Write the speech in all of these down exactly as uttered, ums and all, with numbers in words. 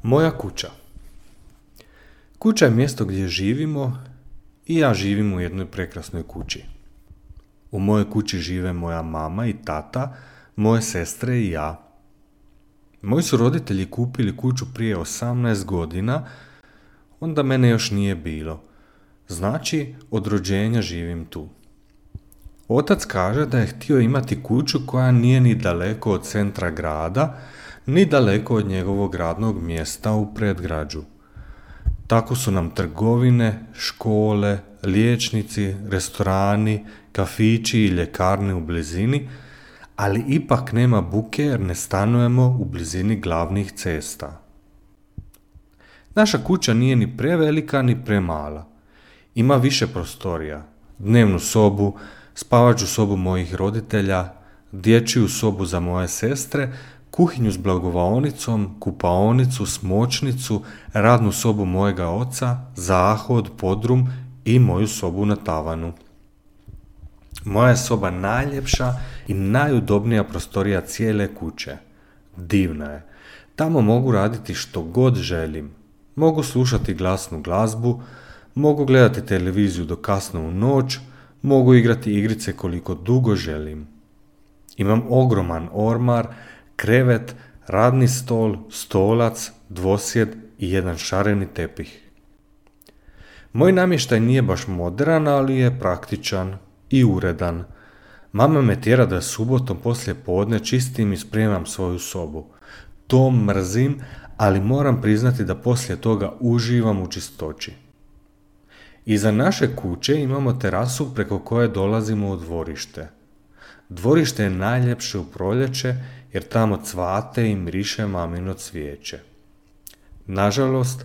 Moja kuća. Kuća je mjesto gdje živimo i ja živim u jednoj prekrasnoj kući. U mojoj kući žive moja mama i tata, moje sestre i ja. Moji su roditelji kupili kuću prije osamnaest godina, onda mene još nije bilo. Znači, od rođenja živim tu. Otac kaže da je htio imati kuću koja nije ni daleko od centra grada, ni daleko od njegovog radnog mjesta u predgrađu. Tako su nam trgovine, škole, liječnici, restorani, kafići i ljekarne u blizini, ali ipak nema buke jer ne stanujemo u blizini glavnih cesta. Naša kuća nije ni prevelika ni premala. Ima više prostorija, dnevnu sobu, spavaću sobu mojih roditelja, dječju sobu za moje sestre, kuhinju s blagovaonicom, kupaonicu, smočnicu, radnu sobu mojega oca, zahod, podrum i moju sobu na tavanu. Moja je soba najljepša i najudobnija prostorija cijele kuće. Divna je. Tamo mogu raditi što god želim. Mogu slušati glasnu glazbu, mogu gledati televiziju do kasno u noć, mogu igrati igrice koliko dugo želim. Imam ogroman ormar, krevet, radni stol, stolac, dvosjed i jedan šareni tepih. Moj namještaj nije baš modern, ali je praktičan i uredan. Mama me tjera da subotom poslije podne čistim i spremam svoju sobu. To mrzim, ali moram priznati da poslije toga uživam u čistoći. Iza naše kuće imamo terasu preko koje dolazimo u dvorište. Dvorište je najljepše u proljeće jer tamo cvate i miriše mamino cvijeće. Nažalost,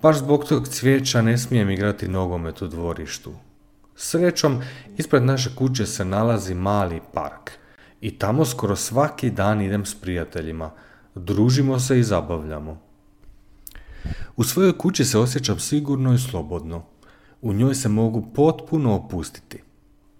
baš zbog tog cvijeća ne smijem igrati nogomet u dvorištu. Srećom, ispred naše kuće se nalazi mali park i tamo skoro svaki dan idem s prijateljima. Družimo se i zabavljamo. U svojoj kući se osjećam sigurno i slobodno. U njoj se mogu potpuno opustiti.